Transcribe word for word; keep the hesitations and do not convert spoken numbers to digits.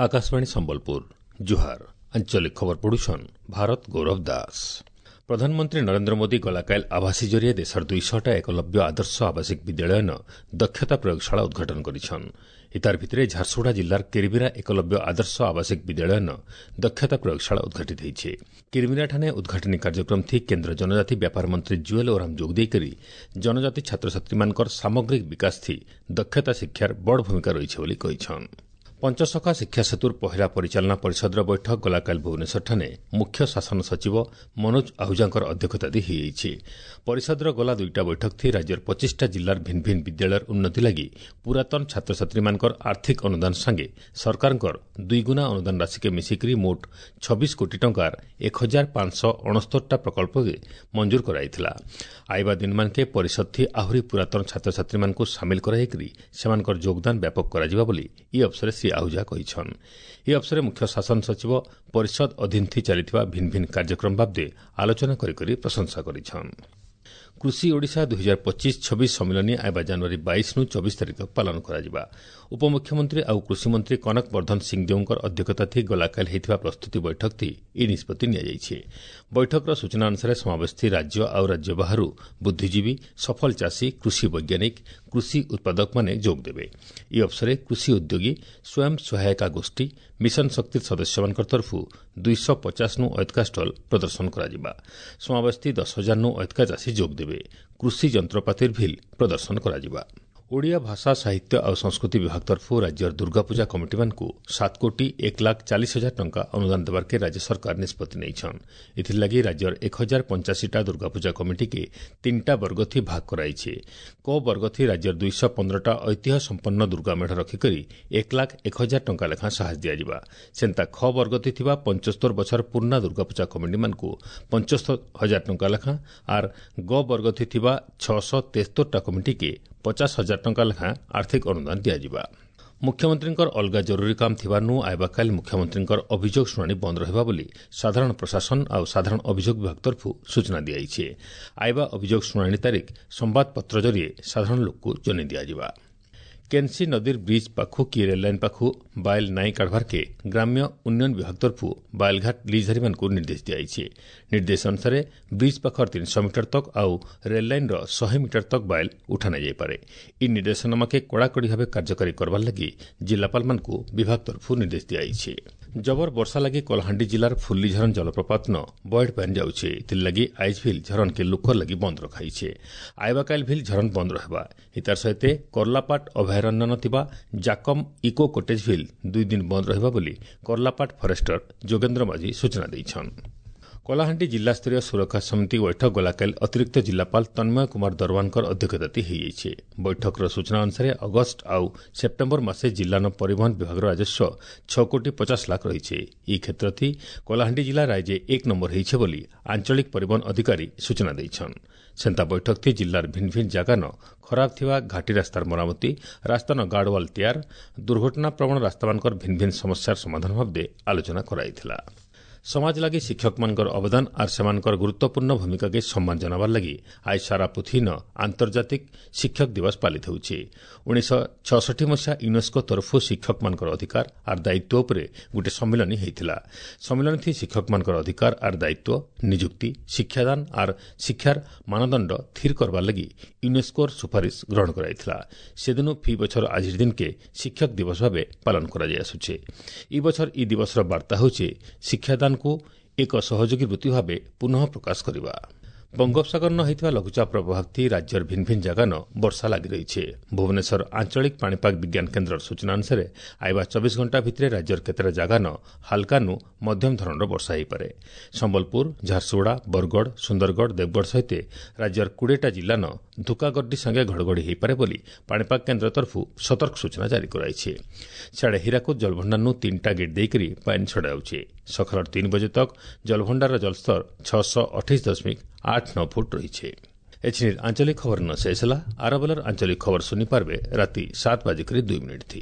ଆକାଶବାଣୀ ସମ୍ବଲପୁର ଜୁହାର ଆଞ୍ଚଳିକ ଖବର ପଢୁଛନ୍ ଭାରତ ଗୌରବ ଦାସ ପ୍ରଧାନମନ୍ତ୍ରୀ ନରେନ୍ଦ୍ର ମୋଦି ଗଲାକାଲି ଆଭାସୀ ଜରିଏ ଦେଶର ଦୁଇଶହଟା ଏକଲବ୍ୟ ଆଦର୍ଶ ଆବାସିକ ବିଦ୍ୟାଳୟନ ଦକ୍ଷତା ପ୍ରୟୋଗଶାଳା ଉଦ୍ଘାଟନ କରିଛନ୍ ଇତାର ଭିତରେ ଝାରସୁଗୁଡ଼ା ଜିଲ୍ଲାର କିରିମିରା ଏକଲବ୍ୟ ଆଦର୍ଶ ଆବାସିକ ବିଦ୍ୟାଳୟନ ଦକ୍ଷତା ପ୍ରୟୋଗଶାଳା ଉଦ୍ଘାଟିତ ହୋଇଛି କିରିମିରାଠାନେ ଉଦ୍ଘାଟନୀ କାର୍ଯ୍ୟକ୍ରମ ଥି କେନ୍ଦ୍ର ଜନଜାତି ବ୍ୟାପାର ମନ୍ତ୍ରୀ ଜୁଏଲ ଓରାମ ଯୋଗ ଦେଇକରି ଜନଜାତି ଛାତ୍ରଛାତ୍ରୀମାନଙ୍କର ସାମଗ୍ରିକ ବିକାଶ ଥି ଦକ୍ଷତା ଶିକ୍ଷାର ବଡ଼ ଭୂମିକା ରହିଛି ବୋଲି କହିଛନ୍ ପଞ୍ଚସଖା ଶିକ୍ଷା ସେତୁର ପହିଲା ପରିଚାଳନା ପରିଷଦର ବୈଠକ ଗଲାକାଲି ଭୁବନେଶ୍ୱରଠାରେ ମୁଖ୍ୟ ଶାସନ ସଚିବ ମନୋଜ ଆହୁଜାଙ୍କର ଅଧ୍ୟକ୍ଷତାରେ ହୋଇଯାଇଛି ପରିଷଦର ଗଲା ଦୁଇଟା ବୈଠକ ଥି ରାଜ୍ୟର ପଚିଶଟା ଜିଲ୍ଲାର ଭିନ୍ନ ଭିନ୍ନ ବିଦ୍ୟାଳୟର ଉନ୍ନତି ଲାଗି ପୁରାତନ ଛାତ୍ରଛାତ୍ରୀମାନଙ୍କର ଆର୍ଥିକ ଅନୁଦାନ ସାଙ୍ଗେ ସରକାରଙ୍କର ଦୁଇଗୁଣା ଅନୁଦାନ ରାଶିକେ ମିଶିକରି ମୋଟ ଛବିଶ କୋଟି ଟଙ୍କାର ଏକ ହଜାର ପାଞ୍ଚଶହ ଅଣସ୍ତରଟା ପ୍ରକଳ୍ପକେ ମଞ୍ଜୁର କରାଯାଇଥିଲା ଆଇବା ଦିନମାନକେ ପରିଷଦ ଥି ଆହୁରି ପୁରାତନ ଛାତ୍ରଛାତ୍ରୀମାନଙ୍କୁ ସାମିଲ କରାଯାଇକରି ସେମାନଙ୍କର ଯୋଗଦାନ ବ୍ୟାପକ କରାଯିବ ବୋଲି ଇ ଅବସରରେ ଶ୍ରୀ ଆହୁଜା କହିଛନ୍ ଏହି ଅବସରରେ ମୁଖ୍ୟ ଶାସନ ସଚିବ ପରିଷଦ ଅଧୀନ ଥି ଚାଲିଥିବା ଭିନ୍ନ ଭିନ୍ନ କାର୍ଯ୍ୟକ୍ରମ ବାବଦେ ଆଲୋଚନା କରିକରି ପ୍ରଶଂସା କରିଛନ୍ କୃଷି ଓଡ଼ିଶା ଦୁଇ ହଜାର ପଚିଶ ଛବିଶ ସମ୍ମିଳନୀ ଆଇବା ଜାନୁଆରୀ ବାଇଶରୁ ଚବିଶ ତାରିଖ ପାଳନ କରାଯିବା ଉପମୁଖ୍ୟମନ୍ତ୍ରୀ ଆଉ କୃଷିମନ୍ତ୍ରୀ କନକ ବର୍ଦ୍ଧନ ସିଂଦେଓଙ୍କର ଅଧ୍ୟକ୍ଷତା ଥି ଗଲାକାଲି ହୋଇଥିବା ପ୍ରସ୍ତୁତି ବୈଠକ ଥି ଏହି ନିଷ୍ପତ୍ତି ନିଆଯାଇଛି ବୈଠକର ସୂଚନା ଅନୁସାରେ ସମାବେଶ ଥି ରାଜ୍ୟ ଆଉ ରାଜ୍ୟ ବାହାରୁ ବୁଦ୍ଧିଜୀବୀ ସଫଳ ଚାଷୀ କୃଷି ବୈଜ୍ଞାନିକ କୃଷି ଉତ୍ପାଦକମାନେ ଯୋଗଦେବେ ଏହି ଅବସରରେ କୃଷି ଉଦ୍ୟୋଗୀ ସ୍ୱୟଂ ସହାୟିକା ଗୋଷ୍ଠୀ ମିଶନ ଶକ୍ତି ସଦସ୍ୟମାନଙ୍କ ତରଫରୁ ଦୁଇଶହ ପଚାଶନୁ ଅଏତକା ଷ୍ଟଲ୍ ପ୍ରଦର୍ଶନ କରାଯିବା ସମାବେଶ ଥି ଦଶ ହଜାରନୁ ଅଏତକା ଚାଷୀ ଯୋଗଦେବେ କୃଷି ଯନ୍ତ୍ରପାତିର ଭିଲ୍ ପ୍ରଦର୍ଶନ କରାଯିବା ଓଡ଼ିଆ ଭାଷା ସାହିତ୍ୟ ଆଉ ସଂସ୍କୃତି ବିଭାଗ ତରଫରୁ ରାଜ୍ୟର ଦୁର୍ଗାପୂଜା କମିଟିମାନଙ୍କୁ ସାତ କୋଟି ଏକ ଲାଖ ଚାଳିଶ ହଜାର ଟଙ୍କା ଅନୁଦାନ ଦେବାର୍କେ ରାଜ୍ୟ ସରକାର ନିଷ୍ପତ୍ତି ନେଇଛନ୍ ଏଥିର୍ଲାଗି ରାଜ୍ୟର ଏକ ହଜାର ପଞ୍ଚାଅଶୀଟା ଦୁର୍ଗାପୂଜା କମିଟିକେ ତିନିଟା ବର୍ଗଥି ଭାଗ କରାଇছে କ ବର୍ଗଥି ରାଜ୍ୟର ଦୁଇଶହ ପନ୍ଦରଟା ଐତିହ୍ୟ ସମ୍ପନ୍ନ ଦୁର୍ଗା ମେଢ଼ ରଖିକରି ଏକ ଲାଖ ଏକ ହଜାର ଟଙ୍କା ଲେଖାଁ ସାହାଯ୍ୟ ଦିଆଯିବା ସେନ୍ତା ଖ ବର୍ଗଥି ଥିବା ପଞ୍ଚସ୍ତର ବଛର ପୁରୁଣା ଦୁର୍ଗାପୂଜା କମିଟିମାନଙ୍କୁ ପଞ୍ଚସ୍ତର ହଜାର ଟଙ୍କା ଲେଖାଁ ଆର୍ ଗ ବର୍ଗଥି ଥିବା ଛଅଶହ ତେସ୍ତରଟା କମିଟିକେ ପଚାଶ ହଜାର ଟଙ୍କା ଲେଖାଁ ଆର୍ଥିକ ଅନୁଦାନ ଦିଆଯିବା ମୁଖ୍ୟମନ୍ତ୍ରୀଙ୍କର ଅଲଗା ଜରୁରୀ କାମ ଥିବାରୁ ଆଇବାକାଲି ମୁଖ୍ୟମନ୍ତ୍ରୀଙ୍କର ଅଭିଯୋଗ ଶୁଣାଣି ବନ୍ଦ ରହିବ ବୋଲି ସାଧାରଣ ପ୍ରଶାସନ ଆଉ ସାଧାରଣ ଅଭିଯୋଗ ବିଭାଗ ତରଫରୁ ସୂଚନା ଦିଆଯାଇଛି ଆଇବା ଅଭିଯୋଗ ଶୁଣାଣି ତାରିଖ ସମ୍ବାଦପତ୍ର ଜରିଏ ସାଧାରଣ ଲୋକକୁ ଜଣାଇ ଦିଆଯିବା କେନ୍ସି ନଦୀର ବ୍ରିଜ୍ ପାଖୁ କି ରେଲ୍ଲାଇନ୍ ପାଖୁ ବାଇଲ୍ ନାଇଁ କାଢ଼ବାର୍କେ ଗ୍ରାମ୍ୟ ଉନ୍ନୟନ ବିଭାଗ ତରଫରୁ ବାଇଲ୍ଘାଟ ଲିଜ୍ଧାରୀମାନଙ୍କୁ ନିର୍ଦ୍ଦେଶ ଦିଆଯାଇଛି ନିର୍ଦ୍ଦେଶ ଅନୁସାରେ ବ୍ରିଜ୍ ପାଖର ତିନିଶହ ମିଟର ତକ୍ ଆଉ ରେଲ୍ଲାଇନ୍ର ଶହେ ମିଟର ତକ୍ ବାଇଲ୍ ଉଠା ନାଇଯାଇପାରେ ଏହି ନିର୍ଦ୍ଦେଶନାମାକେ କଡ଼ାକଡ଼ି ଭାବେ କାର୍ଯ୍ୟକାରୀ କରବାର୍ ଲାଗି ଜିଲ୍ଲାପାଳମାନଙ୍କୁ ବିଭାଗ ତରଫରୁ ନିର୍ଦ୍ଦେଶ ଦିଆଯାଇଛି ଜବର ବର୍ଷା ଲାଗି କଳାହାଣ୍ଡି ଜିଲ୍ଲାର ଫୁଲିଝରନ ଜଳପ୍ରପାତନ ବଏଡ୍ ପାନ୍ ଯାଉଛେ ଏଥିର୍ଲାଗି ଆଇଜ୍ ଭିଲ୍ ଝରନ୍କେ ଲୋକର ଲାଗି ବନ୍ଦ ରଖାଇଛେ ଆଇବାକାଇଲ୍ ଭିଲ୍ ଝରନ୍ ବନ୍ଦ ରହିବା ଏତାର ସହିତ କର୍ଲାପାଟ ଅଭୟାରଣ୍ୟ ଥିବା ଜାକମ୍ ଇକୋ କଟେଜ୍ ଭିଲ୍ ଦୁଇ ଦିନ ବନ୍ଦ ରହିବା ବୋଲି କର୍ଲାପାଟ ଫରେଷ୍ଟର ଯୋଗେନ୍ଦ୍ର ମାଝୀ ସୂଚନା ଦେଇଛନ୍ କଳାହାଣ୍ଡି ଜିଲ୍ଲାସ୍ତରୀୟ ସୁରକ୍ଷା ସମିତି ବୈଠକ ଗଲାକାଲି ଅତିରିକ୍ତ ଜିଲ୍ଲାପାଳ ତନ୍ମୟ କୁମାର ଦରୱାନଙ୍କର ଅଧ୍ୟକ୍ଷତାରେ ହୋଇଯାଇଛି ବୈଠକର ସୂଚନା ଅନୁସାରେ ଅଗଷ୍ଟ ଆଉ ସେପ୍ଟେମ୍ବର ମାସେ ଜିଲ୍ଲାନ ପରିବହନ ବିଭାଗର ରାଜସ୍ୱ ଛଅ କୋଟି ପଚାଶ ଲାଖ ରହିଛି ଏହି କ୍ଷେତ୍ରଥି କଳାହାଣ୍ଡି ଜିଲ୍ଲା ରାଜ୍ୟ ଏକ ନମ୍ବର ହୋଇছে ବୋଲି ଆଞ୍ଚଳିକ ପରିବହନ ଅଧିକାରୀ ସୂଚନା ଦେଇଛନ୍ ସେନ୍ତା ବୈଠକ ଥି ଜିଲ୍ଲାର ଭିନ୍ନ ଭିନ୍ନ ଜାଗାନ ଖରାପ ଥିବା ଘାଟି ରାସ୍ତାର ମରାମତି ରାସ୍ତାନ ଗାର୍ଡୱାଲ୍ ତିଆର ଦୁର୍ଘଟଣା ପ୍ରବଣ ରାସ୍ତାମାନଙ୍କର ଭିନ୍ନ ଭିନ୍ନ ସମସ୍ୟାର ସମାଧାନ ବାବଦେ ଆଲୋଚନା କରାଯାଇଥିଲା ସମାଜ ଲାଗି ଶିକ୍ଷକମାନଙ୍କର ଅବଦାନ ଆର୍ ସେମାନଙ୍କର ଗୁରୁତ୍ୱପୂର୍ଣ୍ଣ ଭୂମିକାକେ ସମ୍ମାନ ଜଣାବାର ଲାଗି ଆଜି ସାରା ପୃଥିବୀନ ଆନ୍ତର୍ଜାତିକ ଶିକ୍ଷକ ଦିବସ ପାଳିତ ହେଉଛି ଉଣେଇଶହ ଛଅଷଠି ମସିହା ୟୁନେସ୍କୋ ତରଫରୁ ଶିକ୍ଷକମାନଙ୍କର ଅଧିକାର ଆର୍ ଦାୟିତ୍ୱ ଉପରେ ଗୋଟିଏ ସମ୍ମିଳନୀ ହୋଇଥିଲା ସମ୍ମିଳନୀ ଶିକ୍ଷକମାନଙ୍କର ଅଧିକାର ଆର୍ ଦାୟିତ୍ୱ ନିଯୁକ୍ତି ଶିକ୍ଷାଦାନ ଆର୍ ଶିକ୍ଷାର ମାନଦଣ୍ଡ ସ୍ଥିର କରବାର ଲାଗି ୟୁନେସ୍କୋର ସୁପାରିଶ ଗ୍ରହଣ କରାଯାଇଥିଲା ସେଦିନୁ ଫି ବଛର ଆଜିର ଦିନକେ ଶିକ୍ଷକ ଦିବସ ଭାବେ ପାଳନ କରାଯାଇ ଆସୁଛେ ଇ ବଛର ଇ ଦିବସର ବାର୍ତ୍ତା ହେଉଛି ଶିକ୍ଷାଦାନ କୁ ଏକ ସହଯୋଗୀ ବୃତ୍ତି ଭାବେ ପୁନଃ ପ୍ରକାଶ କରିବା ବଙ୍ଗୋପସାଗରନ ହୋଇଥିବା ଲଘୁଚାପ ପ୍ରଭାବ ରାଜ୍ୟର ଭିନ୍ନ ଭିନ୍ନ ଜାଗାନ ବର୍ଷା ଲାଗି ରହିଛି ଭୁବନେଶ୍ୱର ଆଞ୍ଚଳିକ ପାଣିପାଗ ବିଜ୍ଞାନ କେନ୍ଦ୍ରର ସୂଚନା ଅନୁସାରେ ଆଇବା ଚବିଶ ଘଣ୍ଟା ଭିତରେ ରାଜ୍ୟର କେତେଟା ଜାଗାନ ହାଲକାନୁ ମଧ୍ୟମ ଧରଣର ବର୍ଷା ହୋଇପାରେ ସମ୍ବଲପୁର ଝାରସୁଗୁଡ଼ା ବରଗଡ଼ ସୁନ୍ଦରଗଡ଼ ଦେବଗଡ଼ ସହିତ ରାଜ୍ୟର କୋଡ଼ିଏଟା ଜିଲ୍ଲାନ ଧୁକାଗର୍ଡି ସାଙ୍ଗେ ଘଡ଼ଘଡ଼ି ହୋଇପାରେ ବୋଲି ପାଣିପାଗ କେନ୍ଦ୍ର ତରଫରୁ ସତର୍କ ସୂଚନା ଜାରି କରାଯାଇଛି ସିଆଡ଼େ ହୀରାକୁଦ ଜଳଭଣ୍ଡାରରୁ ତିନିଟା ଗେଟ୍ ଦେଇକରି ପାଣି ଛଡ଼ାଯାଉଛି ସକାଳ ତିନି ବଜେ ତକ୍ ଜଳଭଣ୍ଡାରର ଜଳସ୍ତର ଛଅଶହ ଅଠେଇଶ ଦଶମିକ ଆଠ ନଅ ଫୁଟ ରହିଛି ଏଛିନିର ଆଞ୍ଚଳିକ ଖବର ନ ଶେଷ ହେଲା ଆରବେଲର ଆଞ୍ଚଳିକ ଖବର ଶୁଣିପାରିବେ ରାତି ସାତ ବାଜିକରି ଦୁଇ ମିନିଟ୍ ଥି